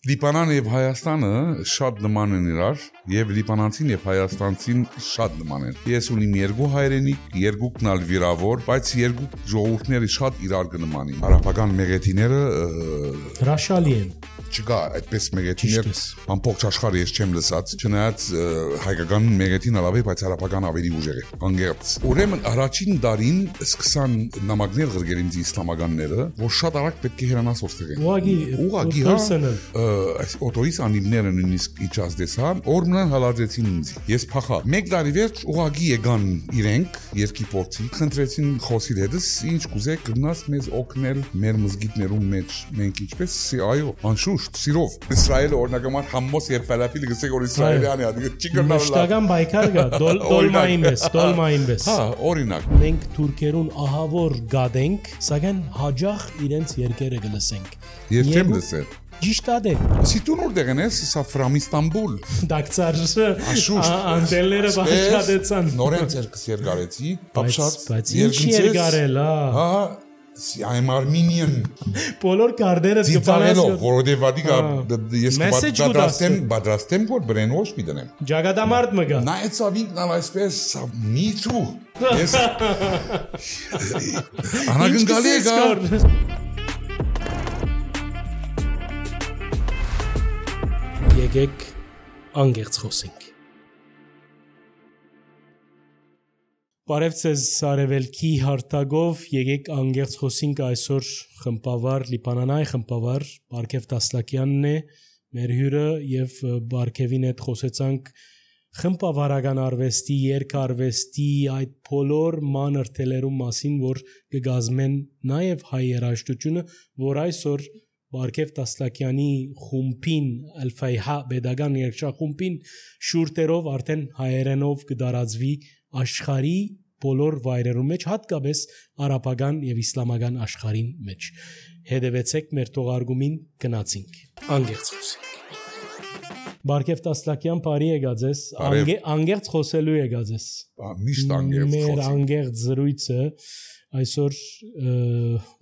Լիբանանը եւ Հայաստանը շատ նման են իրար եւ լիբանանցին եւ հայաստանցին շատ նման են։ Ես ունիմ երկու հայրենիք, երկուքն ալ վիրավոր, բայց երկու ժողովուրդները շատ իրար կնմանին։ Արաբական մեղեթիները հրաշալի են։ Չկա այդպես մեղեթիներ ամբողջ աշխարհը ես չեմ լսած, չնայած հայկական մեղեթին ալավի, բայց արաբական ավելի ուժեղ է, անգերց։ Ուրեմն առաջին դարին սկսան նամակներ գրել ինձ իսլամականները, որ շատ արագ պետք է հեռանաս ոստեղեն։ Ուղղակի այս օտոյիս անիվները նույնիսկ իջած դեսան, օրմնան հալածեցին ինձ։ Ես փախա։ Մեկ տարի վերջ ուղղակի եկան իրենք, երկի փորձի, խնդրեցին խոսիլ հետս, ինչ կուզեք գնաս մեզ օգնել մեր մզգիտներում մեջ, մենք ինչպես այո, անշուշտ սիրով Իսրայելը օրինակամար համոս եւ ֆալաֆիլ գսեք որ իսրայելյան է, չի գնալ։ Մշտական բայկար գա, դոլմային պես։ Հա, օրինակ։ Մենք թուրքերուն ահավոր գադենք, սակայն հաջող իրենց երկերը գլսենք։ Ես չեմ լսել։ Ճիշտադե։ Սիտուն որտեղ ես սա ֆրամ Իստանբուլ։ Դակցար անտելները բաշխատեցան։ Նորեն ցերկս երկարեցի, բայց ինչ երկարել, հա։ I'm Armenian. Բոլոր կարդերը դիպանելով, որովհետև վադի ես պատրաստեմ որ բրենոշ պիտենեմ։ Ջագադամարտ մը գա։ Նայեց ավինքն ալ այսպես me too։ Ես անագնգալի է գա։ Եկեք անգերց խոսենք։ Բարև ձեզ Արևելքի հարթագով, եկեք անգերց խոսենք այսօր խմբավար, լիբանանայ խմբավար, Բարքև Տասլակյանն է, մեր հյուրը եւ Բարքևին հետ խոսեցանք խմբավարական արվեստի, երգարվեստի այդ բոլոր մանր թելերու մասին, որ կգազմեն նաեւ հայ երաժշտությունը, որ այսօր Բարքև Տասլակյանի խումբին Ալ-Ֆայհա pedagogan երգչախումբին շուրտերով արդեն հայերենով կդարածվի աշխարհի բոլոր վայրերում մեջ, հատկապես արաբական եւ իսլամական աշխարհին մեջ։ Հետևեցեք մեր թողարկումին գնացինք։ Անգերց խոսենք։ Բարքև Տասլակյան բարի եկած ես, անգերց խոսելու եկած ես։ Միշտ անգերց խոսենք։ Մեր անգերց զրույցը այսօր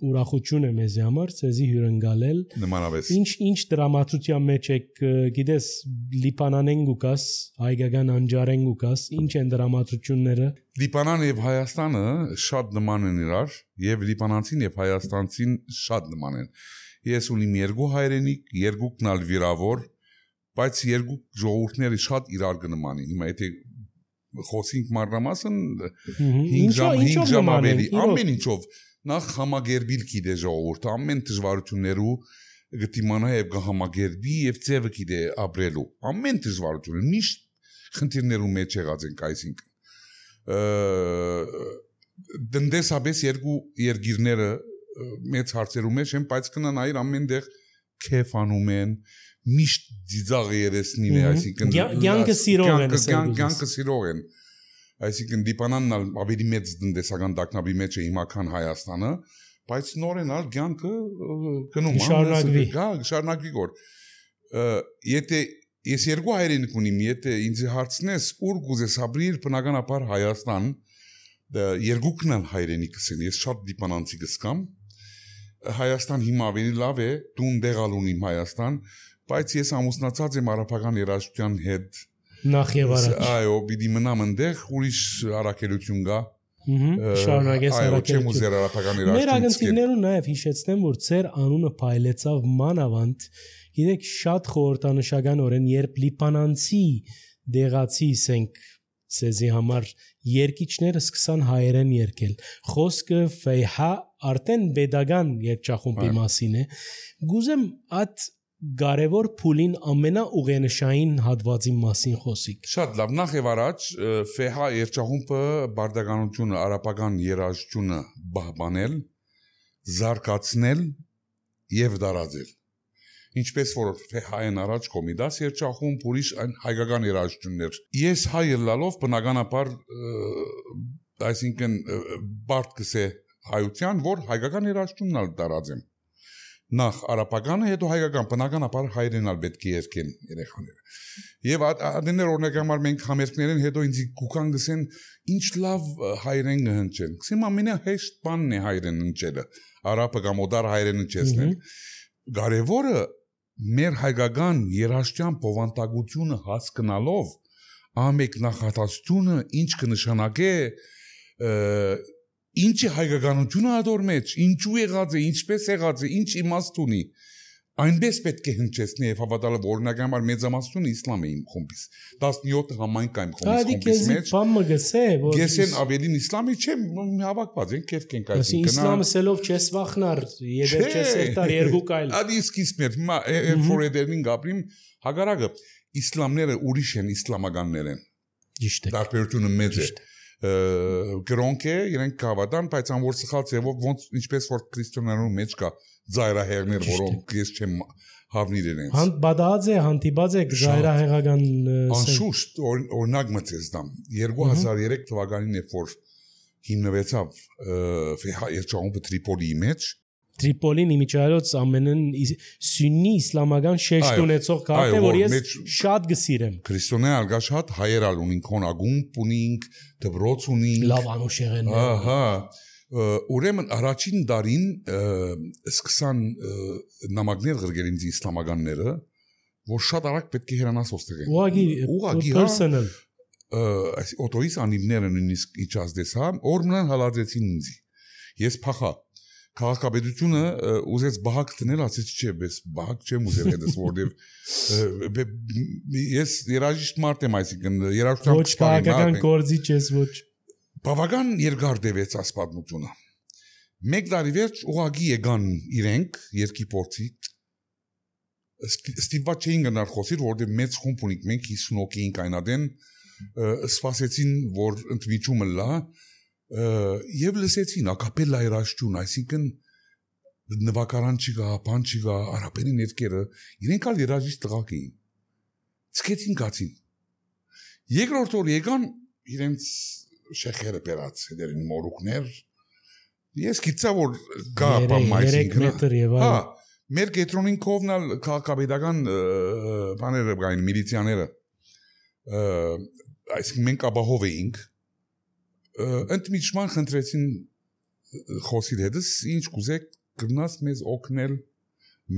ուրախություն է մեզ համար, ցեզի հյուրընկալել։ Նմանապես։ Ինչ դրամատուրգիա մեջ եք, գիտես, Լիբանանեն գուկաս, հայկական անջարեն գուկաս, ինչ են դրամատուրգությունները։ Լիբանանը եւ Հայաստանը շատ նման են իրար, եւ լիբանանցին եւ հայաստանցին շատ նման են։ Ես ունիմ երկու հայրենիք, երկուքն ալ վիրավոր, բայց երկու ժողովուրդները շատ իրար կնմանին։ Հիմա եթե խոսենք մանրամասն 5 ժամ ավելի ամեն ինչով նախ համագերբիլ գիտե ժողովուրդը ամեն դժվարություններու գտիմանա եւ կհամագերբի եւ ձևը գիտե ապրելու ամեն դժվարությունը միշտ խնդիրներու մեջ եղած ենք այսինքն դնդեսաբես երկու երգիրները մեծ հարցերու մեջ են բայց կնանայր ամենտեղ քեֆանում են միշտ դիզաղ երեսնին է այսինքն կյանքը սիրող են այսինքն Լիբանանն ավելի մեծ տնտեսական տագնապի մեջ է հիմա քան Հայաստանը բայց նորեն ալ կյանքը գնում շարունակվի գոր եթե ես երկու հայրենիք ունիմ եթե ինձ հարցնես ուր կուզես ապրիր բնականաբար Հայաստան երկուքն ալ հայրենիքս են ես շատ լիբանանցի կսկամ Հայաստան հիմա ավելի լավ է դու դեղալ ունիմ Հայաստան բայց ես ամուսնացած եմ արաբական երաժշտության հետ նախ եւ առաջ այո պիտի մնամ այնտեղ ուրիշ առաքելություն գա շարունակես առաքելություն մեր ագնտիներուն նաեւ հիշեցնեմ որ ծեր անունը փայլեցավ մանավանդ գիտեք շատ խորհրդանշականորեն երբ լիբանանցի դեղացի ասենք ցեզի համար երկիչները սկսան հայերեն երկել խոսքը ֆեյհա արդեն pedagogan երգչախումբի մասին է գուզեմ այդ կարևոր փուլին ամենաուղենշային հատվածի մասին խոսիկ։ Շատ լավ, նախ եւ առաջ ֆեհա երգչախումբը բարդականությունը, արաբական երաժշտությունը բահբանել, զարգացնել եւ դարաձել։ Ինչպես որ ֆեհային առաջ կոմիդաս երգչախումբ, ուրիշ հայկական երաժշտություններ։ Ես հայ ելալով բնականաբար այսինքն բարդ կսե հայության, որ հայկական երաժշտությունն ալ դարաձեմ։ Նախ արաբականը, հետո հայկական, բնականաբար հայերենալ պետք է երկեն երեխաները։ Եվ adender օրինակհամար մենք համերգներեն հետո ինձ կուքան գսեն ինչ լավ հայերեն կհնչեն։ Գսեմ ամենահեշտ բանն է հայերեն հնչելը, արաբը կամ օդար հայերեն հնչեցնել։ Կարևորը մեր հայկական երաշտյան բովանդակությունը հասկանալով ամեկ նախատասությունը ինչ կնշանակե ինչ է հայկականությունը ադոր մեջ, ինչու եղած է, ինչպես եղած է, ինչ իմաստ ունի այնպես պետք է հնչեցնի եւ հավատալը օրինակ համար մեծամասնությունը իսլամ է իմ խումբից 17 համայնք այն խումբից մեջ բամը գսե որ գեսեն ավելին իսլամի չեմ հավաքված են կեֆ կենք այսինքն իսլամը սելով չես վախնար եդեր չես երտար երկու կայլ ադի սկիզբներ հիմա ֆորեդերին գապրիմ հագարակը իսլամները ուրիշ են իսլամականներ են ճիշտ է տարբերությունը մեծ է գրոնք է իրենք կհավատան բայց անոր սխալ ձևով ոնց ինչպես որ քրիստոնյաներու մեջ կա զայրահեղներ որոնք ես չեմ հավնիր իրենց բադած է հանդիպած է զայրահեղական անշուշտ օրինակ մտես դամ 2003 թվականին երբ որ հիմնվեցավ երջանկումը Տրիպոլիի մեջ Տրիպոլին իմիջայլոց ամենն սուննի իսլամական շեշտ ունեցող քաղաք է որ ես շատ գսիրեմ քրիստոնյա արգաշատ հայերալ ունին քոնագումբ ունինք դբրոց ունինք լավ անուշեղեն ահա ուրեմն առաջին դարին սկսան նամակներ գրել ինձ իսլամականները որ շատ արագ պետք է հեռանաս ոստեղեն ուղղակի personal այս օտոյիս անիվները նույնիսկ իջած դեսա օրմնան հալածեցին ինձ ես փախա քաղաքապետությունը ուզեց բահակ տնել ասեց չէ բայց բահակ չեմ ուզել հետս որտեվ ես երաժիշտ մարդ եմ այսինքն երաժշտական ոչ քաղաքական գործի չես ոչ բավական երկար դեպեց ասպատմությունը մեկ տարի վերջ ուղագի եկան իրենք երկի փորձի ստիպված չէին գնալ խոսիր որտեվ մեծ խումբ ունենք մենք 50 հոգի էինք այնադեն սպասեցին որ ընդմիջումը լա եւ լսեցին ակապելլա երաժշտություն, այսինքն նվագարան չկա, բան չկա, արաբերի ներկերը, իրենք ալ երաժիշտ տղաք էին։ Ցկեցին գացին։ Երկրորդ օր եկան իրենց շեխերը բերած դերին մորուկներ։ Ես գիտա որ գա բամ այսինքն։ Հա, մեր կետրոնին կողմնալ քաղաքապետական բաները կային միլիցիաները։ Այսինքն մենք աբահով էինք ընդմիջման խնդրեցին խոսիր հետս ինչ կուզեք գնաց մեզ օգնել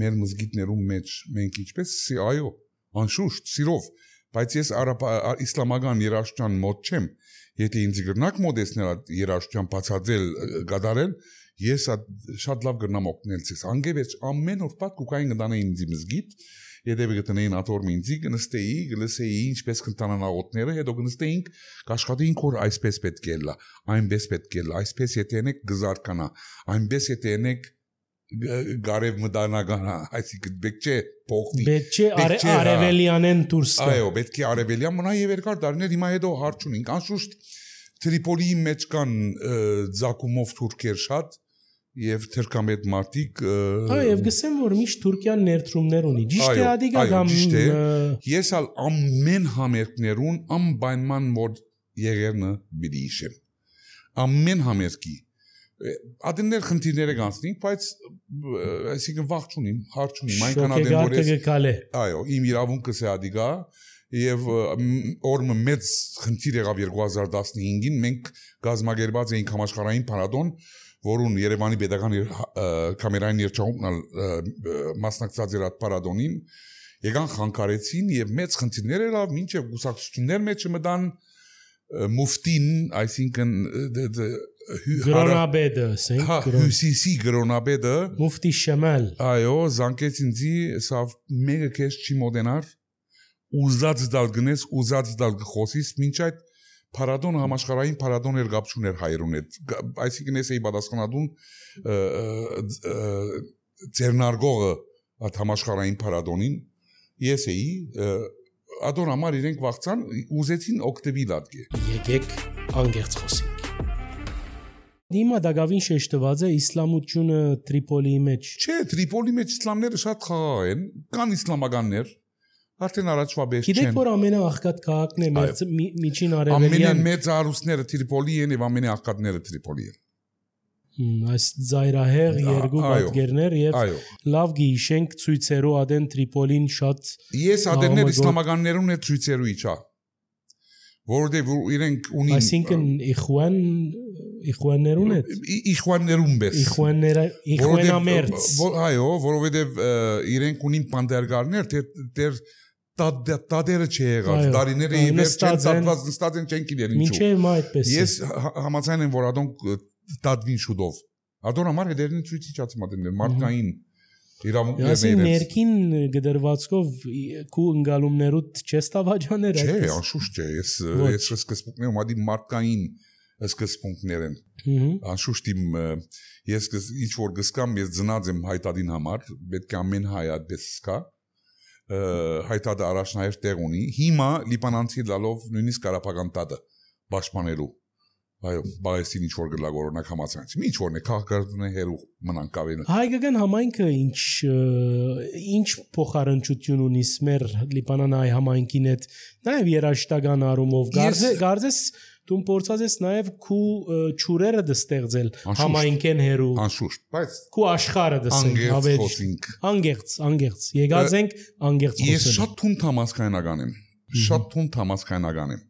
մեր մզգիթներում մեջ մենք ինչպես այո անշուշտ սիրով բայց ես իսլամական երաժշտության մոտ չեմ եթե ինձ գրնակ մոդեսնել երաժշտության բացատրել գդարել ես շատ լավ գրնամ օգնել ցես անգևեջ ամեն օր պատ կուկային գտանեին ինձ մզգիթ Եդեւի գտնեին աթոր մինձի գնստեի գլսեի ինչպես կընտանան աղոթները հետո գնստեինք կաշխատեինք որ այսպես պետք է լա այնպես պետք է լա այսպես եթե ենեք գզարկանա այնպես եթե ենեք գարև մդանագանա այսինքն պետք չէ փոխվի պետք չէ արևելյանեն դուրս գա այո պետք է արևելյան մնա եւ երկար դարներ հիմա հետո հարց ունենք անշուշտ Տրիպոլիի մեջ կան ձակումով թուրքեր շատ Եվ թերքամետ մարտիկ Եվ գսեմ որ միշտ Թուրքիան ներդրումներ ունի ճիշտ է ադիգա կամ ես ալ ամեն համերգներուն անպայման որ եղերնը բիդի իշեմ ամեն համերգի ադեններ խնդիրները կանցնենք բայց այսինքն վախ չունիմ հարց չունիմ այնքան ադեն որ ես այո իմ իրավունքս է ադիգա Եվ օրը մեծ խնդիր եղավ 2015-ին մենք գազագերբած էինք համաշխարհային փառատոն որուն Երևանի Պետական կամերային երգչախումբն մասնակցած էր այդ փառատոնին եկան խանգարեցին եւ մեծ խնդիրներ եղավ մինչեւ գուսակցություններ մեջ մտան մուֆտին այսինքն գրոնաբեդը ասենք հյուսիսի գրոնաբեդը մուֆտի Շամալ այո զանգեց ինձի սա մեկը քեզ չի մոդենար ուզած դալ գնես ուզած դալ խոսիս մինչ այդ Փառատոն համաշխարհային փառատոն էր գապչուներ հայերուն հետ այսինքն ես էի պատասխանատուն ձեռնարկողը այդ համաշխարհային փառատոնին ես էի ադոր համար իրենք վախցան ուզեցին օկտեբիլ ադգե եկեք անգերց խոսենք Դիմա դակավին շեշտված է իսլամությունը Տրիպոլիի մեջ չէ Տրիպոլիի մեջ իսլամները շատ խաղաղ են կան իսլամականներ Արդեն առաջվա բես չեն։ Գիտեք որ ամենաաղքատ քաղաքն է միջին արևելյան։ Ամենամեծ արուսները Տրիպոլի են եւ ամենաաղքատները Տրիպոլի են։ Այս զայրահեղ երկու պատկերներ եւ լավ գիշենք ցույցերու ադեն Տրիպոլին շատ Ես ադեններ իսլամականներուն է ցույցերու իջա։ որովհետև իրենք ունին այսինքն իխուաններուն հետ իխուաններուն բես իխուանամերձ այո որովհետև իրենք ունին պանդերգարներ դեր տադերը չեղած դարիները ի վերջ չեն ծածված նստած են չեն գիտեն ինչու մինչև այդպես ես համաձայն եմ որ ադոնք տադվին շուտով ադոր համար հետերին ցույցի չացմատեն մարդկային իրավունքներն իրենց ներքին գդրվածքով քու ընկալումներուդ չես տավաջաներ չէ անշուշտ չէ ես սկզբունքներում ադի մարդկային սկզբունքներ են անշուշտ իմ ես ինչ որ գսկամ ես ծնած եմ հայտադին համար պետք է ամեն հայ այդպես սկա հայտադը առաջնահերթ տեղ ունի հիմա լիբանանցի լալով նույնիսկ Ղարաբաղյան տադը պաշտպանելու այո բայեսին ինչ որ գլակ օրինակ համացանց ինչ որն է քաղաքականությունը հերու մնանք ավելը հայկական համայնքը ինչ փոխարինչություն ունի մեր լիբանանայի համայնքին հետ նաև երաշտական առումով գարձես դու փորձած ես նաև քու ճուրերը դստեղծել համայնքեն հերու անշուշտ բայց քու աշխարհը դսենք անգերց եկած ենք անգերց ես շատ թունդ համասկայնական եմ շատ թունդ համասկայնական եմ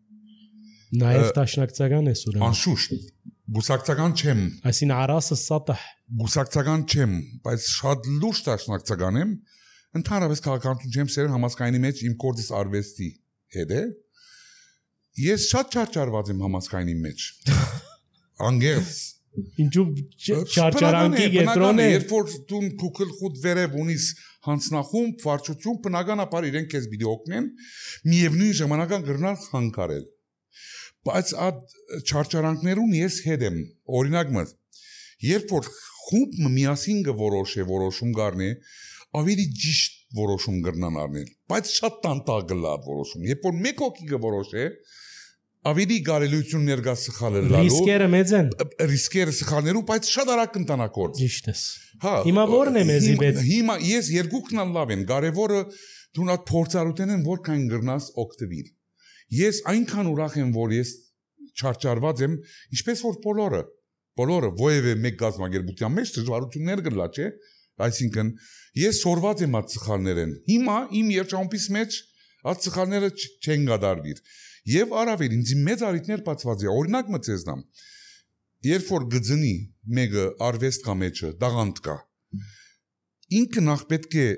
նաև տաշնակցական ես ուրեմն անշուշտ գուսակցական չեմ այսին արասը սատահ գուսակցական չեմ բայց շատ լուրջ տաշնակցական եմ ընդհանրապես քաղաքականություն չեմ սերն համասկայնի մեջ իմ կորձից արվեստի հետ է ես շատ չարչարված եմ համասկայնի մեջ անգերց ինչու չարչարանքի գետրոն է երբ որ դու քուքլ խուտ վերև ունիս հանցնախում վարչություն բնականաբար իրենք քեզ պիտի օգնեն միևնույն ժամանակ գրնալ խանգարել բայց այդ չարչարանքներուն ես հետ եմ օրինակ մտ երբ որ խումբը միասին գորոշե որոշում գարնի ավելի ճիշտ որոշում գրնան առնել բայց շատ տանտակ գլա որոշում երբ որ մեկ հոգի գորոշե ավելի կարելիություն ներկա սխալը լալու ռիսկերը մեծ են ռիսկերը սխալներու բայց շատ արագ կընտանակորդ ճիշտ է հիմա որն է մեզի պետք հիմա ես երկուքն լավ են կարևորը դու նա փորձառութեն են որքան գրնաս օգտվիր ես այնքան ուրախ եմ որ ես չարչարված եմ ինչպես որ բոլորը ովևէ մեկ գազམ་ագերբության մեջ դժվարություններ գլա չէ այսինքն ես սորված եմ այդ սխալներեն հիմա իմ երջանկից մեջ այդ սխալները չեն գդարվիր եւ առավել ինձ մեծ արիտներ բացված է օրինակ մտածեմ երբ որ գծնի մեկը արվեստ կա մեջը դաղանդ կա ինքը նախ պետք է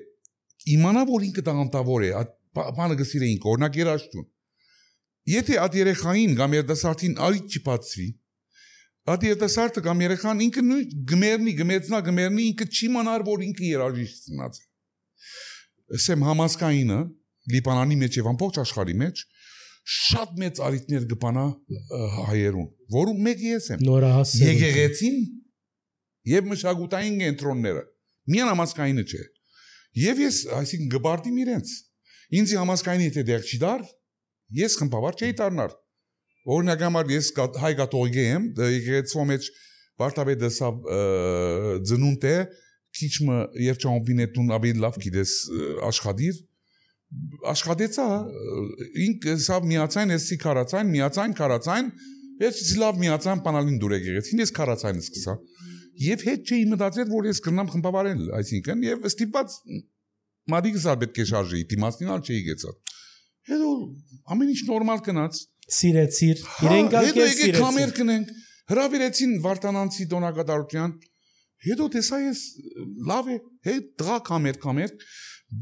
իմանա որ ինքը դաղանտավոր է բանը գսիրեինք օրինակ երաշտուն եթե այդ երեխային կամ երիտասարդին արիտ չփածվի այդ երիտասարդը կամ երեխան ինքը նույն գմերնի ինքը չի մանար որ ինքը երաժիշտ ծնած է ասեմ համասկայինը լիբանանի մեջ եւ ամբողջ աշխարհի մեջ շատ մեծ արիտներ գբանա հայերուն որում մեկ ես եմ եկեղեցին եւ մշակութային կենտրոնները միան համասկայինը չէ եւ ես այսինքն գբարտիմ իրենց ինձ համասկայինի եթե դեռ չի դար ես խմբավար չէի դառնար օրինակ համար ես հայ կաթողիկ եմ եկեղեցու մեջ վարդապետը սա ծնունդ է քիչը երջանկին ավելի լավ գիտես աշխատեցա ինք սա միացայն էսի քարացայն միացայն քարացայն ես լավ միացան բանալին դուր եկեղեցին ես քարացայինը սկսա եւ հետ չէի մտածել որ ես կնամ խմբավարել այսինքն եւ ստիպված մադիգսա պետք է շարժեի դիմացնալ չէի գեցա հետո ամեն ինչ նորմալ կնաց սիրեցիր իրենք ալկես սիրեցին կամեր կնենք հրավիրեցին Վարդանանցի տոնակատարության հետո տեսա ես լավ է հետ դրա կամեր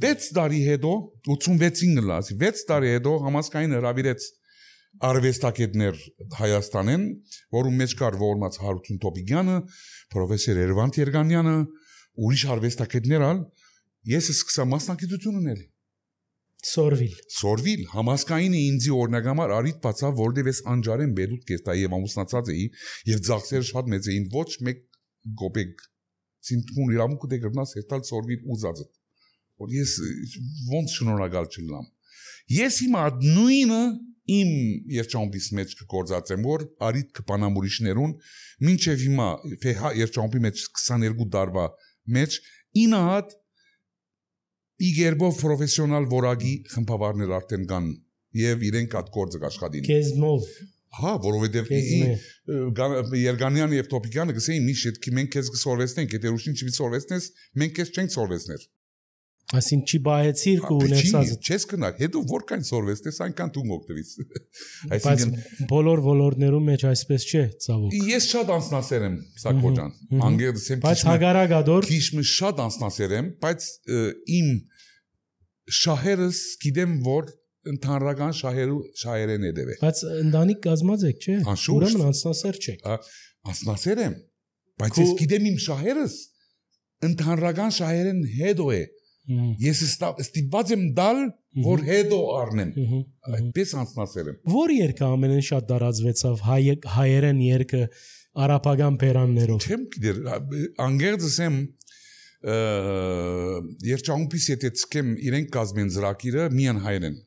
6 տարի հետո 86-ին գլասի 6 տարի հետո համասկային հրավիրեց արվեստագետներ Հայաստանեն որում մեջ կար ողորմած Հարություն Տոպիգյանը պրոֆեսոր Երվանդ Երգանյանը ուրիշ արվեստագետներ ալ ես սկսա մասնակցություն ունել Սորվիլ համասկայինը ինձի օրնագամար արիտ բացավ որտեվ ես անջարեն բեդուտ կեստայի եւ ամուսնացած էի եւ ծախսերը շատ մեծ էին ոչ մեկ գոբեկ սինտմուն իրավունք դե գրնաս հետալ Սորվիլ ուզածը որ ես ոնց շնորհակալ չլամ ես հիմա նույնը իմ երջանկից մեջ կգործածեմ որ արիտ կպանամուրիշներուն մինչեւ հիմա երջանկի մեջ 22 տարվա մեջ 9 հատ իգերբով պրոֆեսիոնալ որագի խմբավարներ արդեն կան եւ իրենք այդ գործը աշխատին քեզմով հա որովհետեւ Երգանյանը եւ Տոպիկյանը գսեին մի շետ մենք քեզ կսորվեցնենք եթե ուրիշին չի սորվեցնես մենք քեզ չենք սորվեցներ Այսին չի բայեցիր ու ունեցած չես գնար հետո որքան սորվես դες այնքան դու օգտվից այսինքն բոլոր ոլորտներում մեջ այսպես չէ ցավոք ես շատ անձնասեր եմ Սակո ջան անգերս եմ բայց հագարագադոր քիչ շատ անձնասեր եմ բայց իմ շահերս գիտեմ որ ընդհանրական շահերեն է դեպի բայց ընտանիք կազմած եք չէ ուրեմն անձնասեր չեք անձնասեր եմ բայց ես գիտեմ իմ շահերս ընդհանրական շահերեն հետո է Ես ստիպված եմ դալ, որ հետո առնեմ։ Այդպես անձնասեր եմ։ Որ երկը ամենեն շատ դարածվեցավ հայերեն երկը արաբական բերաններով։ Չեմ գիտեր, անգերձս եմ երջանկից եթե ցկեմ իրենք կազմեն ծրագիրը միան հայերեն։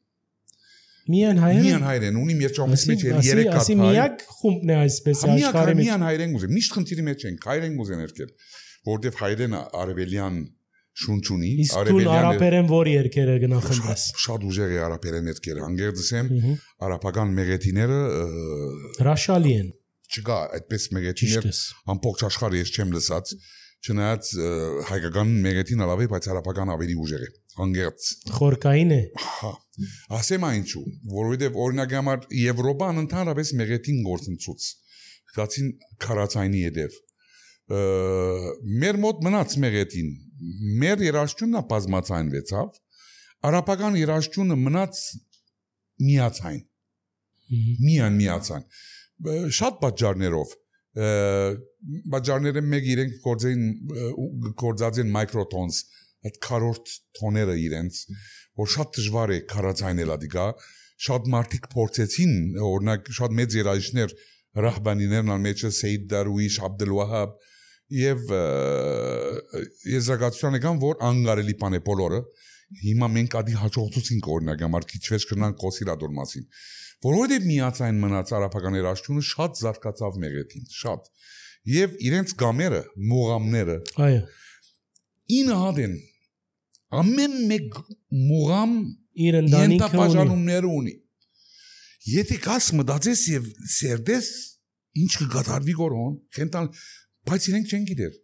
Միան հայերեն։ Միան հայերեն, ունիմ երջանկից մեջ 3 հատ հայ։ Ասի միակ խումբն է այսպես աշխարհի մեջ։ Միան հայերեն ուզեմ, միշտ խնդիրի մեջ ենք, հայերեն ուզեն երկել, որտեվ հայերեն արևելյան շունչունի արաբերեն որ երկերը գնախնդրես շատ ուժեղ է արաբերեն երկերը անգերձս եմ արաբական մեղեթիները հրաշալի են չկա այդպես մեղեթիներ ամբողջ աշխարհը ես չեմ լսած չնայած հայկական մեղեթին լավ է բայց արաբական ավելի ուժեղ է անգերձ խորկային է հա ասեմ այնչու որովհետև օրինակ համար Եվրոպան ընդհանրապես մեղեթին գործընծուց գացին քարացայինի հետև մեր մոտ մնաց մեղեթին մեր երաշտունը բազմացայնվեցավ արաբական երաշտունը մնաց միացայն միացան շատ պատճառներով պատճառները մեկ իրենք գործած են մայկրոտոնս այդ քարորդ տոները իրենց որ շատ դժվար է քարացայնելա դիգա շատ մարդիկ փորձեցին օրինակ շատ մեծ երաժիշտներ ռահբանիներն ալմեջը Սեյդ Դարուիշ Աբդելվահաբ Եվ եզրակացության եկան, որ անգարելի բան է բոլորը հիմա մենք ադի հաջողությունք օրինակ համար քիչ վեճ կնանք կոսիրադոր մասին որովհետև միացայն մնաց արաբական երաշտությունը շատ զարգացավ մեղեթին շատ եւ իրենց գամերը մուղամները այո 9 հատ են ամեն մեկ մուղամ իր ընտանիքը ունի եթե կաս մտածես եւ սերդես ինչ կգադարվի գորոն քենտան բայց իրենք չեն գիտեր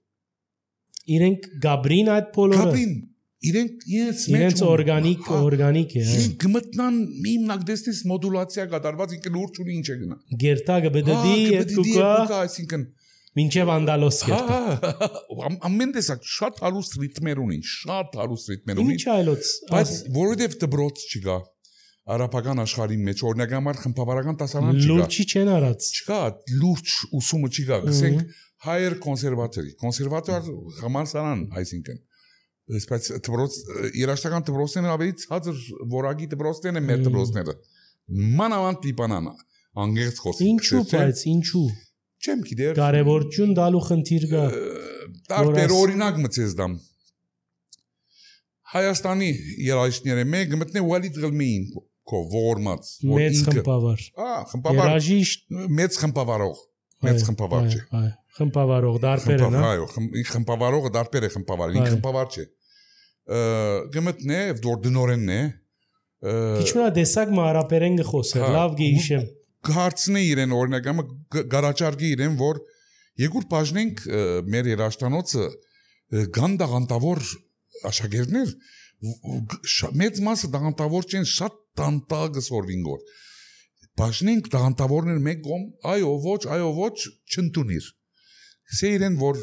իրենք գաբրին այդ բոլորը գաբրին իրենք օրգանիկ է իրենք գմտնան հիմնակ դեսնես մոդուլացիա կատարված ինքը լուրջ ունի ինչ է գնա գերտագը բդդի կուկա այսինքն մինչև անդալոս գերտա ամեն տեսակ շատ հարուստ ռիթմեր ունի ինչ այլոց բայց որովհետև դբրոց չկա արաբական աշխարհի մեջ օրինակ համար խմբավարական դասարան չկա լուրջի չեն արած չկա լուրջ ուսումը չկա ասենք հայեր կոնսերվատոր համալսարան այսինքն բայց դպրոց երաշտական դպրոցները ավելի ցածր որակի դպրոցներն են մեր դպրոցները մանավանդ լիբանան անգերց խոսի ինչու բայց ինչու չեմ գիտեր կարևորություն դալու խնդիր կա տարբեր օրինակ մցես դամ Հայաստանի երաժիշտները մեկ մտնե Վալիդ Ղլմիին ողորմած մեծ խմբավար երաժիշտ մեծ խմբավարող մեծ խմբավար չէ խմբավարող դարբեր է այո խմբավարողը դարբեր է խմբավարը ինքը խմբավար չէ գմտնե դոր դնորենն է քիչ մնա դեսակ մարապերեն գխոսեր լավ գեիշեմ հարցնե իրեն օրինակամը գարաճարգի իրեն որ երկուր բաժնենք մեր երաշտանոցը գանդաղանտավոր աշակերտներ մեծ մասը դաղանտավոր չեն շատ տանտագ սորվին գոր բաժնենք դաղանտավորներ մեկ կողմ այո ոչ չընդունիր սե իրեն որ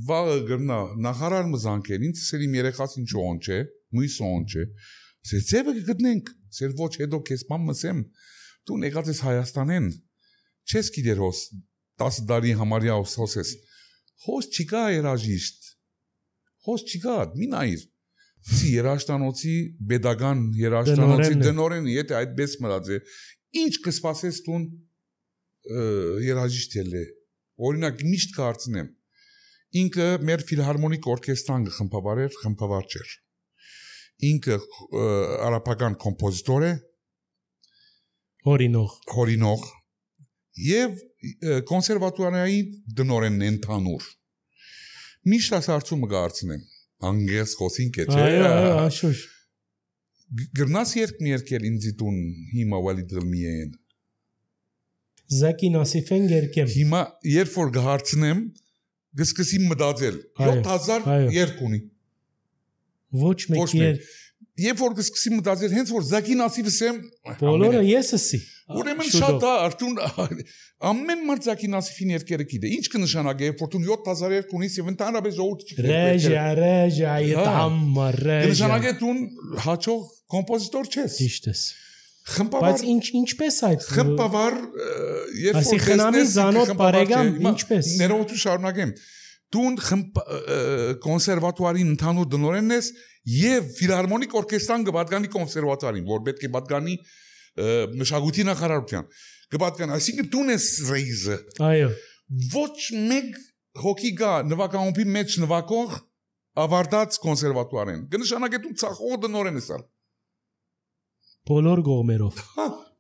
վաղը գրնա նախարար մզանքեր ինձ սեր իմ երեխաս ինչ օն չէ մույս օն չէ սե ձևը գտնենք սեր ոչ հետո քեզ բան մսեմ դու եկած ես Հայաստանեն չես գիտեր հոս 10 տարի համարյա հոսես հոս չկա երաժիշտ հոս չկա մի նայր Սի երաշտանոցի pedagogan երաշտանոցի դնորեն եթե այդպես մնաց է ինչ կսպասես տուն երաժիշտ է օրինակ միշտ կարծնեմ ինքը մեր ֆիլհարմոնիկ օրկեստրան խմբավար չէր ինքը արաբական կոմպոզիտոր է հորինող եւ կոնսերվատորիայի դնորենն ընդհանուր միշտ ասարցումը կարծնեմ անգես խոսինք է չէ աշուշ գրնաս երկել ինձ տուն հիմա Վալիդ Ղլմիեն Զակի Նասիֆեն երկեմ հիմա երբ որ գհարցնեմ գսկսի մտածել 7000 երկունի Ոչ մեկ Երբ որ կսկսի մտածել հենց որ Զակինասի վսեմ բոլորը եսսի ուրեմն շատ արդյուն ամեն մարդ Զակինասիֆին երկերը գիտե ինչ կնշանակի երբ որ դու 7000 ունիս եւ ընդհանրապես ժողովուրդը ռեժա յետամը կնշանակի դու հաջող կոմպոզիտոր չես ճիշտ ես խմբավար բայց ինչպես այդ խմբավար երբ որ խնամի զանոթ բարեկամ ինչպես ներողություն շարունակեմ դու կոնսերվատուարին ընդհանուր դնորենն ես եւ ֆիլհարմոնիկ օրկեստրան կպատկանի կոնսերվատուարին որ պետք է պատկանի մշակույթի նախարարության կպատկանի այսինքն դու ես ռեիզը այո ոչ մեկ հոգի գա նվագախումբի մեջ նվագող ավարտած կոնսերվատուարեն կնշանակի դու ցախող դնորեն ես բոլոր կողմերով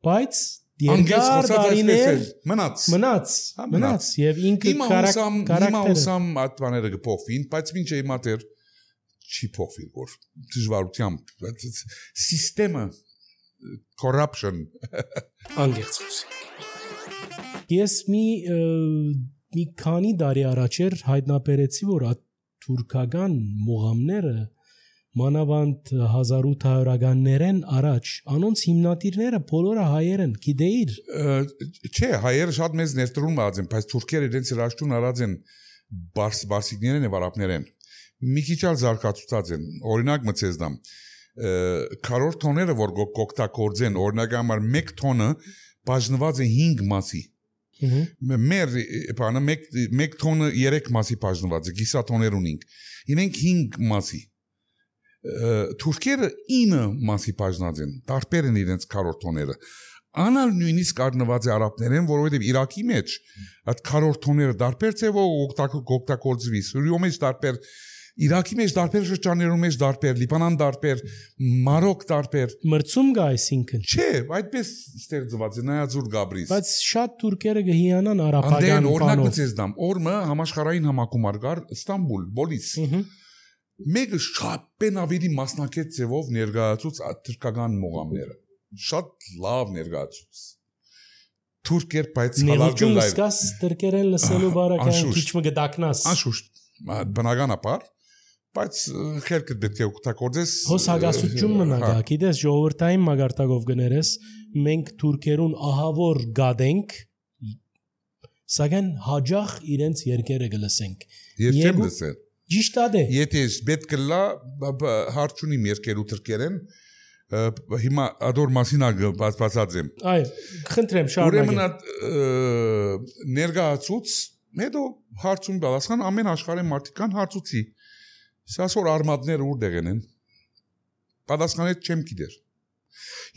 բայց երկար տարիներ մնաց եւ ինքը քարակտերը ատվաները կփոխվին բայց ոչ հիմա դեռ չի փոխվի որ դժվարությամբ սիստեմը corruption անգերց խոսենք ես մի քանի տարի առաջ հայտնաբերեցի որ թուրքական մողամները մանավանդ 1800-ականներեն առաջ անոնց հիմնադիրները բոլորը հայեր են գիտեիր չէ հայերը շատ մեծ ներդրում ածեն բայց թուրքերը իրենց հրաշքուն արած են բարսիկներեն եւ արաբներեն մի քիչ ալ զարգացուցած են օրինակ մցեզդամ քարորդ տոները որ կօգտագործեն օրինակ համար 1 տոնը բաժնված է 5 մասի մեր բանը 1 տոնը 3 մասի բաժնված է գիսատոներ ունենք իրենք 5 մասի թուրքերը 9 մասի բաժնած են տարբեր են իրենց քարորթոները անալ նույնիսկ առնված է արաբներեն որովհետև Իրաքի մեջ այդ քարորթոները տարբեր ձևով օգտագործվի Սուրիո մեջ տարբեր Իրաքի մեջ տարբեր շրջաններում մեջ տարբեր Լիբանան տարբեր Մարոկ տարբեր մրցում գա այսինքն չէ այդպես ստեղծված է նայածուր Գաբրիս բայց շատ թուրքերը գհիանան արաբական օրինակ մցեզդամ օրմը համաշխարհային համակարգ կար Ստամբուլ բոլիս Մեկը շատ բենավիրի մասնակից ձևով ներկայացուց թուրքական մողամները շատ լավ ներկայացուց թուրքեր բայց հալարգը լայվ սկաս թուրքերեն լսելու բարակային քիչ մը գդակնաս անշուշտ բնականաբար բայց քերկը պետք է օգտագործես հոս հագասություն մնա գիտես ժողովրդային մագարտակով գներես մենք թուրքերուն ահավոր գադենք սակայն հաջող իրենց երկերը գլսենք ես չեմ լսել Ճիշտ է։ Եթե պետք է լա հարցունի երկերու թրկերեն հիմա ադոր մասինա բացած եմ։ Այո, խնդրեմ շարունակեմ։ Ուրեմն ներգացուց հետո հարցուն բալասան ամեն աշխարհի մարդիկան հարցուցի։ Սասոր արմատները ուր դեղեն են։ Պատասխանեց չեմ գիտեր։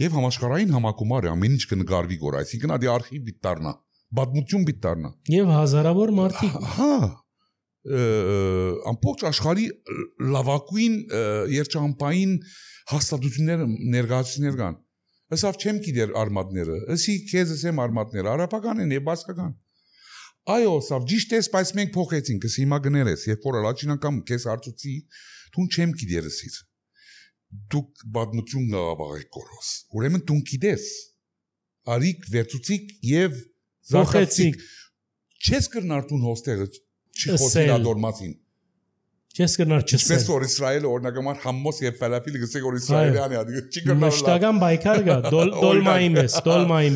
Եվ համաշխարհային համակարգը ամեն ինչ կնկարվի գոր, այսինքն ադի արխիվ պիտի դառնա, պատմություն պիտի դառնա։ Եվ հազարավոր մարդիկ։ Հա ամբողջ աշխարհի լավագույն երջանկային հաստատությունները ներկայացուցիչներ կան։ Հեսավ չեմ գիտեր արմատները, ըսի քեզ եմ արմատները, արաբական են եւ բասկական։ Այո, սավ ճիշտ է, բայց մենք փոխեցինք, ըսի հիմա գնել ես, երբ որ առաջին անգամ քեզ հարցուցի, դու չեմ գիտեր ըսի։ Դու պատմություն գաղավաղի կորոս։ Ուրեմն դու գիտես։ Արիք վերցուցիկ եւ փոխեցիկ։ Չես կրնար դու հոստեղը Չխոսել ադորմացին Չես կրնար չսել Ինչպես որ Իսրայելը օրինակամար համմոս եւ ֆալաֆիլը գսեք որ Իսրայելյան է չի կրնար Մշտական բայկար գա դոլմային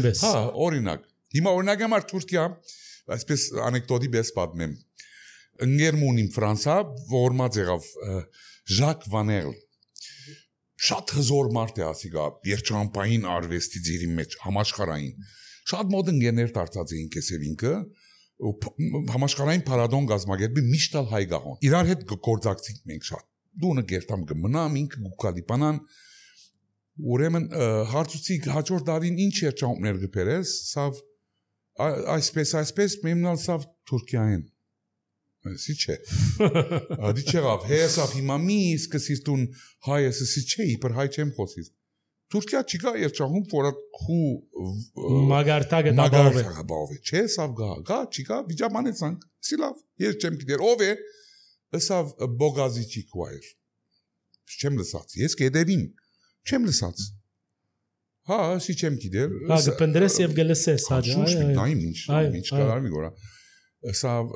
պես Հա օրինակ Հիմա օրինակամար Թուրքիա այսպես անեկդոտի պես պատմեմ Ընկերմունին Ֆրանսա որմած եղավ Ժակ Վանել շատ հզոր մարդ է ասիկա երջանկային արվեստի ձիրի մեջ համաշխարհային շատ մոտ ընկերներ դարձած էին քեսև ինքը համաշխարհային փառատոն գազմագերբի միշտալ հայ գահոն իրար հետ գործակցենք մենք շատ դունը գերտամ կմնամ ինքը գուկալիպանան ուրեմն հարցուցի հաջորդ տարին ինչ երջանկներ գբերես սավ այսպես մեմնալ սավ Թուրքիային Սի չէ Ադի չեղավ հեսավ հիմա մի սկսիր տուն հայես սի չէ իբր հայ չեմ խոսիր Թուրքիա չկա երջանկում որ քու մագարտակը բաղովե չէ սավ գա չկա վիճաբանեցանք սի լավ ես չեմ գիտեր ով է ըսավ բոգազիչի քուայր չեմ լսած ես կդևին չեմ լսած հա սի չեմ գիտեր հա գպնդրես եւ գլսես հաջա ինչ կարամի գորա սավ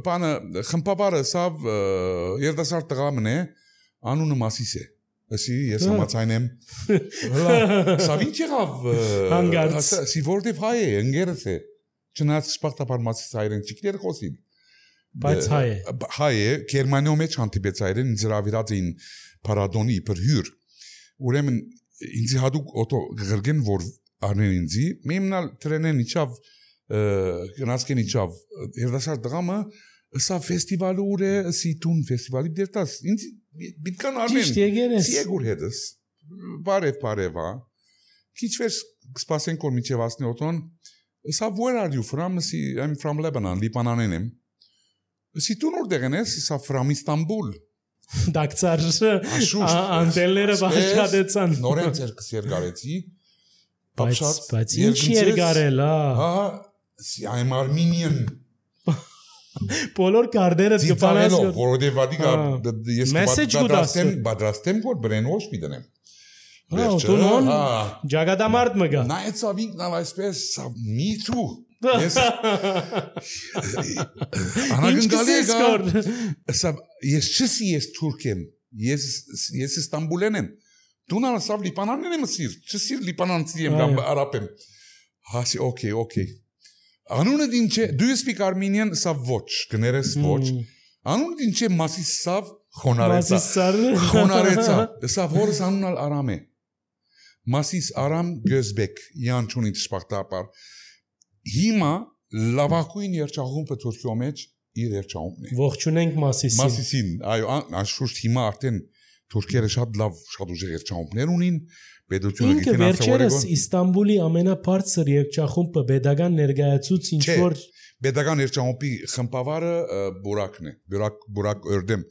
բանը խմպավարը սավ երդասարդ տղամն է Անունը Մասիս է։ Ասի ես համաձայն եմ։ Սա ինչ եղավ։ Հանգարց։ Սի որտեվ հայ է, ընկերս է։ Չնայած սպարտապար Մասիս հայերեն ճիկներ խոսին։ Բայց հայ է։ Հայ է, Գերմանիայում մեջ հանդիպեց հայերեն ինձ հրավիրած էին Փարադոնի իբր հյուր։ Ուրեմն ինձ հատուկ օտո գրգեն որ արնեն ինձի, մեմնալ տրենեն իջավ գնացքեն իջավ երդասար դրամը սա ֆեստիվալը ուր է սիտուն ֆեստիվալի դերտաս ինձ բիտկան արնեն սիեգուր հետս բարև քիչ վեր սպասենք որ միջև ասնի օտոն սա where are you from I'm from Lebanon Լիբանանեն եմ սիտուն ուր դեղեն ես սա from Istanbul դակցար անտելները բաշխատեցան նորեն ցերկս երգարեցի բայց ինչ երգարել հա I'm Armenian բոլոր կարդերը գտանած որովհետև վադիկա ես պատրաստեմ որ բրենոշ պիտենեմ Տունոն ջագադամարտ մգա նայեց ավինքն այսպես me too ես անագնդալի ես չսի ես թուրք եմ ես Իստանբուլեն եմ դու նարսավ Լիբանանն եմ սիր չսիր Լիբանանցի եմ կամ արաբ եմ հասի okay անունը դին չէ do you speak Armenian սա ոչ գներես ոչ անունը դին չէ Մասիս սավ խոնարեցա սա որս անունալ արամ է Մասիս արամ գözbek յանչունի սպարտապար հիմա լավագույն երգչախումբը Թուրքիո մեջ իր երգչախումբն է ողջունենք Մասիսին այո անշուշտ հիմա արդեն թուրքերը շատ լավ շատ ուժեղ երգչախումբներ ունին պետությունը գիտեն վերջերս Իստանբուլի ամենաբարձր երգչախումբը pedagogan ներկայացուց ինչ որ pedagogan երգչախումբի խմբավարը Բուրակն է Բուրակ Օրդեմ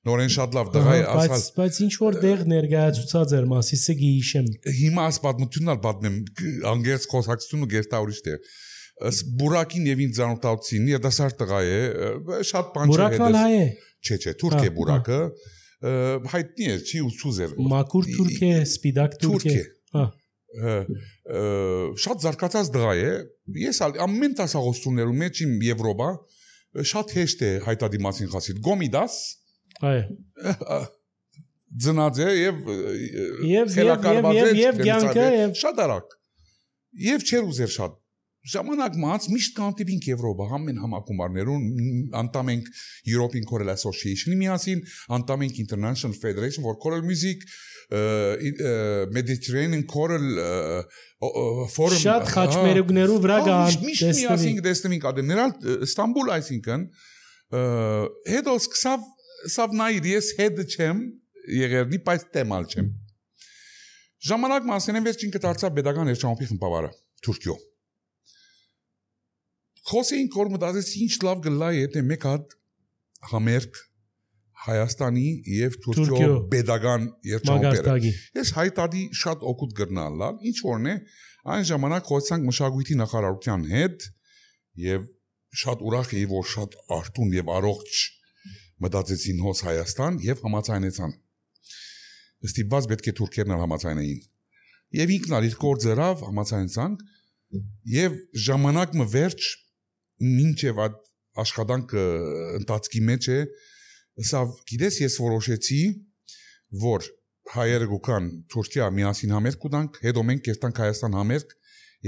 նորեն շատ լավ դղա է ասալ բայց ինչ որ դեղ ներկայացուցած էր Մասիսը գիշեմ հիմա աս պատմությունն պատմեմ անգերց խոսակցությունը գերտաուրիշ է Բուրակին եւ ինձ ծանոթացին երդասարտ տղա է շատ բան չէ Բուրակն հայ է չէ թուրք է Բուրակը հայտնի է չի ուծուզեր մակուր թուրք է սպիդակ թուրք է շատ զարգացած դղա է ես ամեն տասաղոստումներում մեջ իմ Եվրոպա շատ հեշտ է հայտադիմացին խասիլ գոմիդաս այո ձնած է եւ գյանքը շատ արագ եւ չեր ուզեր շատ ժամանակ մած միշտ կանտիպինք Եվրոպա ամեն համակումարներուն անդամ ենք European Choral Association-ի միասին անդամ ենք International Federation for Choral Music Mediterranean Choral Forum շատ խաչմերուկներու վրա գա միշտ միասին դեսնենք ադեներալ Ստամբուլ այսինքն հետո սկսավ նայր ես հետ չեմ եղերնի բայց տեմալ չեմ ժամանակ մասենեն վերջին կդարձավ pedagogan երգչախումբի խմբավարը Թուրքիո Խոսեին կոր մտածեցի ինչ լավ գլա է թե մեկ հատ համերգ Հայաստանի եւ Թուրքիո pedagogan երգչախումբերը ես հայտարարի շատ օգուտ գրնալա ինչ որն է այն ժամանակ խոսանք մշակույթի նախարարության հետ եւ շատ ուրախ էի որ շատ արտուն եւ առողջ մտածեցին հոս Հայաստան եւ համաձայնեցան ստիպված պետք է թուրքերն համաձայնեին եւ ինքն իր գործերով համաձայնեցանք եւ ժամանակը վերջ մինչև աշխատանքը ընթացքի մեջ է սա գիտես ես որոշեցի որ հայերը գուքան Թուրքիա միասին համերգ կուտանք հետո մենք կերտանք Հայաստան համերգ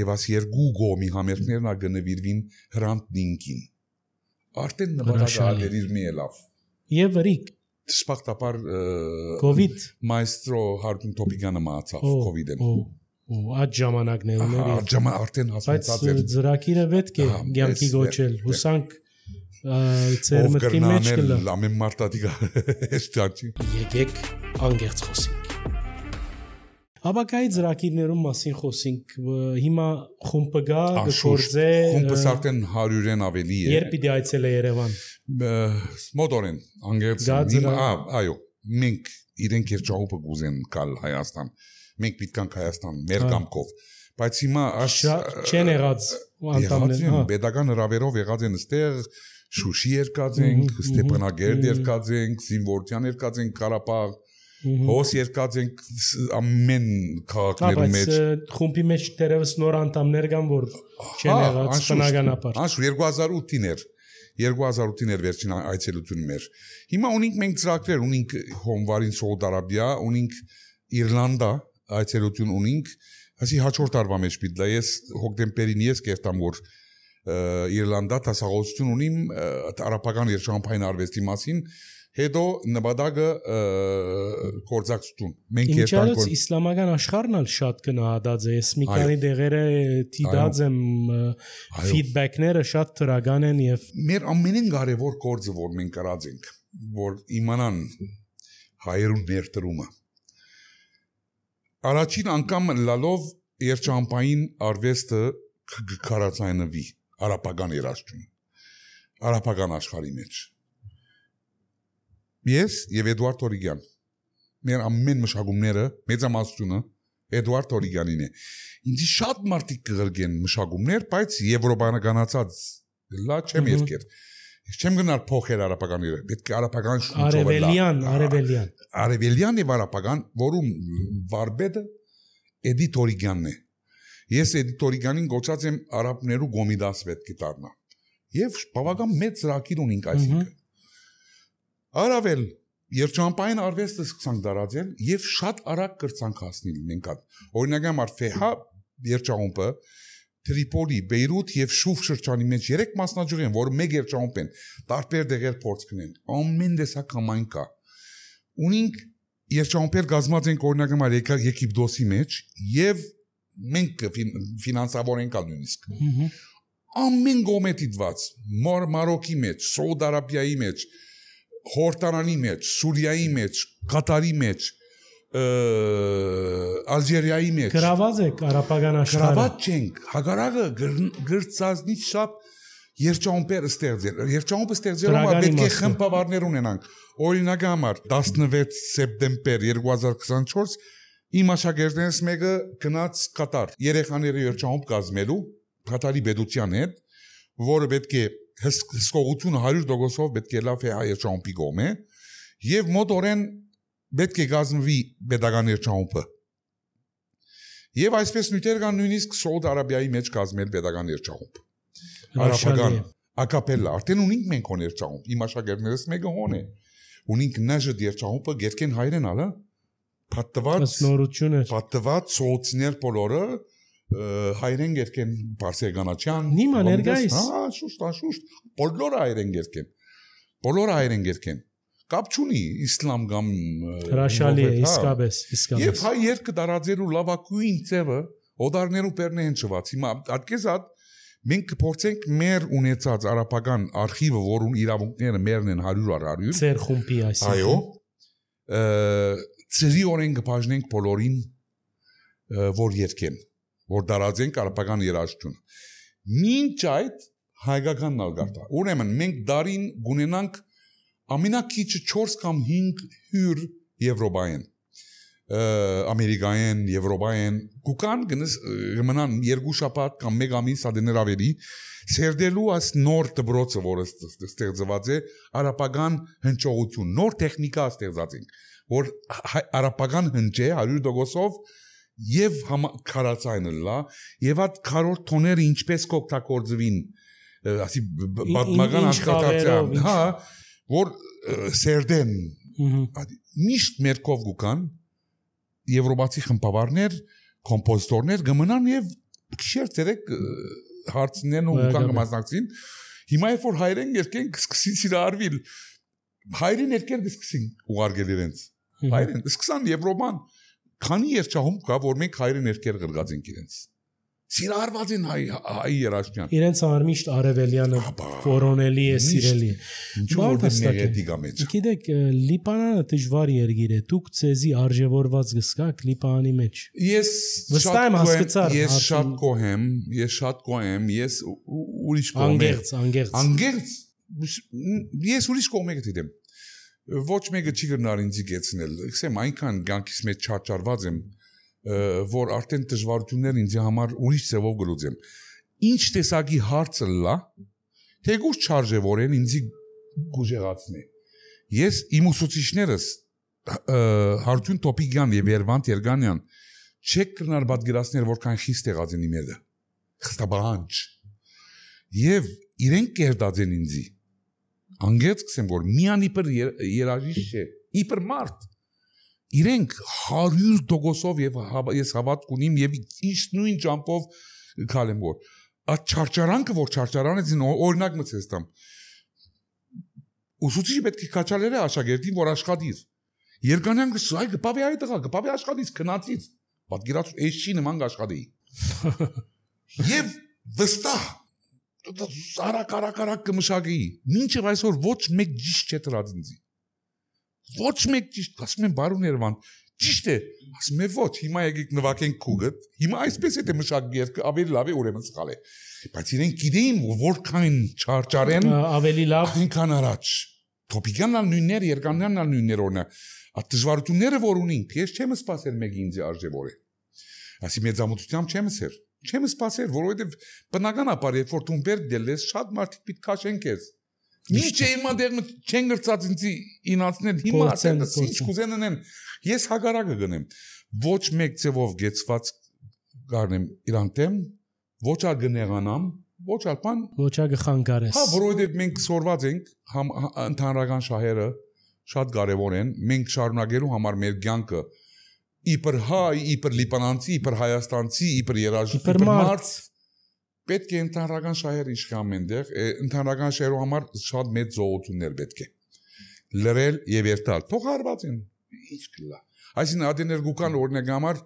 եւ աս երկու գոմի համերգներն ագնվիրվին հրանտնինքին արդեն նպատակը իր մի լավ եւ ռիկ սպարտապար COVID մայստրո Հարկուն Տոպիգանը մահացավ COVID-ին այդ ժամանակներում էր արդեն հասցած էր բայց ծրագիրը պետք է ցանկի գոչել հուսանք ծեր մտքի մեջ կլա ամեն մարտադիկա էստաչի եկեք անգերց խոսենք Աբակայի ծրագիրներում մասին խոսենք հիմա խումբը գա գործե խումբը արդեն 100-ն ավելի է երբ պիտի այցելե Երևան մոդորեն անգերց այո մենք իրենք երջահոպը գուզեն կալ Հայաստան մենք պիտքանք Հայաստան մեր կամքով բայց հիմա չեն եղած անտամներ pedagogan հրավերով եղած են այստեղ Շուշի երկած ենք Ստեփանագերդ երկած ենք Զինվորտյան երկած ենք Ղարաբաղ հոս երկած ենք ամեն քաղաքներում մեջ խումբի մեջ դերևս նոր անդամներ կան որ չեն եղած բնականաբար անշուշտ 2008-ին էր 2008-ին էր վերջին այցելությունը մեր։ Հիմա ունենք մենք ծրագրեր, ունենք հունվարին Սաուդ Արաբիա, ունենք Իռլանդա այցելություն ունենք, ասի հաջորդ տարվա մեջ պիտի ես հոկտեմբերին ես կերտամ որ Իռլանդա տասաղությունություն ունիմ արաբական երաշտապային արվեստի մասին, հետո նպատակը կորձակցություն։ Մենք երբեք իսլամական աշխարհն էլ շատ գնահատած է, ես մի քանի դեղերը դիտած եմ, ֆիդբեքները շատ դրական են եւ մեր ամենին կարևոր գործը որ մենք կարած ենք, որ իմանան հայերուն ներդրումը։ Առաջին անգամ լալով երաշտապային արվեստը կկարացայնվի արաբական երաժշտություն, արաբական աշխարհի մեջ։ Ես եւ Էդուարդ Օրիգյան մեր ամեն մշակումները մեծամասնությունը Էդուարդ Օրիգյանին է ինձ շատ մարդիկ կգրգեն մշակումներ բայց եվրոպականացած լա չեմ երկեր ես չեմ գնալ փոխել արաբական իրը պետք է արաբական արևելյան եւ արաբական որում վարպետը Էդիթ Օրիգյանն է ես Էդիթ Օրիգյանին գոչած եմ արաբներու գոմիդաս պետք է դառնա եւ բավական մեծ ծրագիր ունենք այսինքն Արավել երճամպային արվեստը սկսանք դարածել եւ շատ արագ կրծանք հասնել մենք այդ օրինակ համար Ֆեհա երճամպը Տրիպոլի, Բեյրութ եւ Շուֆ շրջանի մեջ 3 մասնաճյուղ են, որը մեկ երճամպ են, տարբեր դեղեր փորձ կնեն։ Ամեն տեսակ համայն կա։ Ունենք երճամպեր գազմած են օրինակ համար Եգիպտոսի մեջ եւ մենք ֆինանսավորենք նույնիսկ։ Ամեն գոմե դիտված Մարոկի մեջ, Սաուդ Արաբիայի մեջ Հորդանանի մեջ, Սուրիայի մեջ, Կատարի մեջ, Ալժիրիայի մեջ գրաված եք արաբական աշխարհը գրաված չենք հագարակը գրծածնից շատ երճամպեր ստեղծել երճամպը ստեղծելով պետք է խմբավարներ ունենանք օրինակ համար 16 սեպտեմբեր 2024 իմ աշակերտներից մեկը գնաց Կատար երեխաների երճամպ կազմելու Կատարի պետության հետ որը պետք է հսկողությունը 100%-ով պետք է լավ է հայ ճամպի գոմե եւ մոտորեն պետք է գազմվի pedagogan երճամպը եւ այսպես նույնտեղ կան նույնիսկ Սաուդ Արաբիայի մեջ գազմել pedagogan երճամպ արաբական ակապելլա արդեն ունենք մենք հոն երճամպ իմ աշակերտներից մեկը հոն է ունենք նաժը երճամպը գերքեն հայրեն ալը պատտված սոցիալ բոլորը հայրեն գերքեն Բարսեղանաչյան Նիմա ներգայիս շուշտ բոլորը հայրեն գերքեն կապ չունի իսլամ կամ հրաշալի է իսկապես եւ հայ երկը դարաձերու լավակույն ձևը օդարներու պերնեն չված հիմա ատկեզատ մենք կփորձենք մեր ունեցած արաբական արխիվը որուն իրավունքները մերն են 100 ծեր խումբի այսինքն այո ծրի օրեն կբաժնենք բոլորին որ երկեն որ դարածենք արաբական երաժշտություն։ Մինչ այդ հայկականն ալ գարտա։ Ուրեմն մենք դարին գունենանք ամենակիչը 4 կամ 5 հյուր Եվրոպայեն, Ամերիկայեն, Եվրոպայեն, գուկան գնան 2 շաբաթ կամ 1 ամիս ադեներ ավելի սերդելու աս նոր դբրոցը որը ստեղծված է արաբական հնչողություն, նոր տեխնիկա ստեղծած ենք, որ արաբական հնչ է 100%-ով Եվ քարացայինը լա եւ այդ քարոր տոները ինչպես կօգտագործվին ասի բադմական աշխատացիան հա որ սերդեն միշտ մերկով գուկան եվրոպացի խմբավարներ կոմպոզիտորներ գմնան եւ քիշեր ցերեք հարցնեն ու գուկան կմասնակցին հիմա որ հայրեն երկեն կսկսին սիրարվիլ հայրեն երկեր կսկսին ուղարկել իրենց հայրեն սկսան եվրոպան Քանի երճահում կա, որ մենք հայրը ներկեր գրգած ենք իրենց։ Սիրարված են հայ երաժշտյան։ Իրենց արմիշտ արևելյանը որոնելի է, սիրելի է։ Ինչու որ նեգատիվա մեջ։ Գիտեք, Լիբանանը դժվար երկիր է։ Դուք ցեզի արժևորված գսկաք Լիբանանի մեջ։ Ես շատ կոհեմ, ես ուրիշ կողմ եմ։ Անգերց։ Ես ուրիշ կողմ եմ։ Ոչ մեկը չի գնար ինձ գեցնել, ասեմ այնքան գանքից մեջ չարչարված եմ, որ արդեն դժվարություններ ինձ համար ուրիշ ձևով գլուծեմ։ Ինչ տեսակի հարցը լա, թեկուզ չարժևորեն ինձ գուժեղացնի։ Ես իմ ուսուցիչներս Հարություն Տոպիգյան եւ Երվանդ Երգանյան չեք կրնար պատկերացնել որքան խիստ եղած են իմերը։ Խստաբանջ։ Եվ իրենք կերտած են ինձ անգեց կսեմ որ միան իբր երաժիշտ չէ իբր մարդ իրենք 100% եւ ես հավատ կունիմ եւ իշտ նույն ճամփով քալեմ որ այդ չարչարանքը որ չարչարանեցին օրինակ մցես տամ ուսուցիչի պետք է քաչալերը աշակերտին որ աշխատիր երկանյանքը այ գպավի այ տղա գպավի աշխատից քնածից պատկերացու էս չի նման աշխատի եւ վստահ արակ կմշակի մինչեւ այսօր ոչ մեկ ճիշտ չէ դրած ինձի ոչ մեկ ճիշտ ասում են բարուն Երևան ճիշտ է ասում եմ ոչ հիմա եկեք նվագենք քուգդ հիմա այսպես է թե մշակի երկը ավելի լավ է ուրեմն սխալ է բայց իրենք գիտեին որքան չարչարեն ավելի լավ այնքան առաջ տոպիկանալ նույններ երկանյանալ նույններ օրինակ այդ դժվարությունները որ ունենք ես չեմ սպասել մեկի ինձ արժևորե ասի մեծամտությամբ չեմ սպասել որովհետև բնականաբար երբ որ դու բերք դելես շատ մարդիկ պիտի քաշեն քեզ ինչ է հիմա դեռ չեն գրծած ինձի ինացնել հիմա ասեն ինչ կուզեն անեն ես հագարակը գնեմ ոչ մեկ ձևով գեցված գարնեմ իրան դեմ ոչ ագնեղանամ ոչ ալպան ոչ ագխանգարես հա որովհետև մենք սորված ենք ընդհանրական շահերը շատ կարևոր են մենք շարունակելու համար մեր կյանքը իբր հայ իբր լիբանանցի իբր հայաստանցի իբր երաժիշտ իբր մարդ պետք է ընդհանրական շահեր իշխան մենտեղ ընդհանրական շահերու համար շատ մեծ զողություններ պետք է լրել եւ երթալ թող հարված են ինչ կլա այսինքն ադեներ գուկան օրինակ համար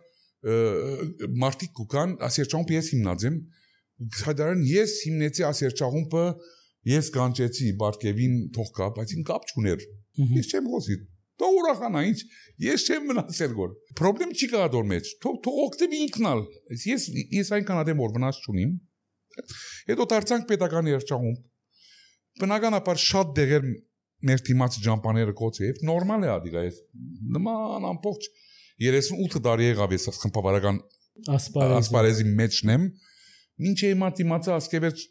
մարտիկ գուկան ասերչամփ ես հիմնած եմ հադարան ես հիմնեցի ասերչաղումպը ես կանչեցի Բարկևին թող կա բայց ին կապ չուներ ես չեմ խոսի դու ուրախանա ինչ ես չեմ մնացել գոր պրոբլեմ չի կա դոր մեջ թող օգտվի ինքնալ ես այնքան ադեմ որ վնաս չունիմ հետո դարձանք պետական երգչախումբ բնականաբար շատ դեղեր մեր թիմացի ջամպաները կոչեև նորմալ է ադիգա ես նման ամբողջ 38 տարի եղավ ես խմբավարական ասպարեզի մեջն եմ ինչ է հիմա թիմացը ասկևեջ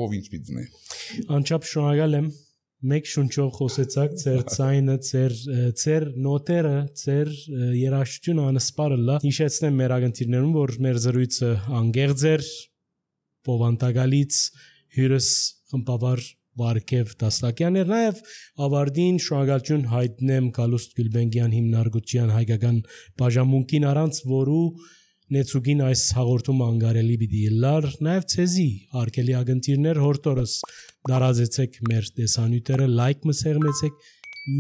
ով ինչ պիտի անչափ շնորհակալ եմ մեկ շունչով խոսեցաք ձեր ցայնը ձեր նոտերը ձեր երաժշտությունը անսպարը լա հիշեցնեմ մեր ագնտիրներում որ մեր զրույցը անգեղծ էր Պովանտագալից հյուրս խմբավար Վարքև Դաստակյանն էր նաև ավարտին շնորհակալություն հայտնեմ Գալուստ Գյուլբենգյան հիմնարկության հայկական բաժանմունքին առանց որու նեցուգին այս հաղորդումը անգարելի պիտի լար նաև ցեզի արկելի ագնտիրներ հորտորս դարազեցեք մեր տեսանյութերը լայք մսեղմեցեք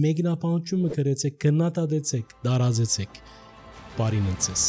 մեկնաբանությունը գրեցեք գնահատեցեք դարազեցեք բարին ընցես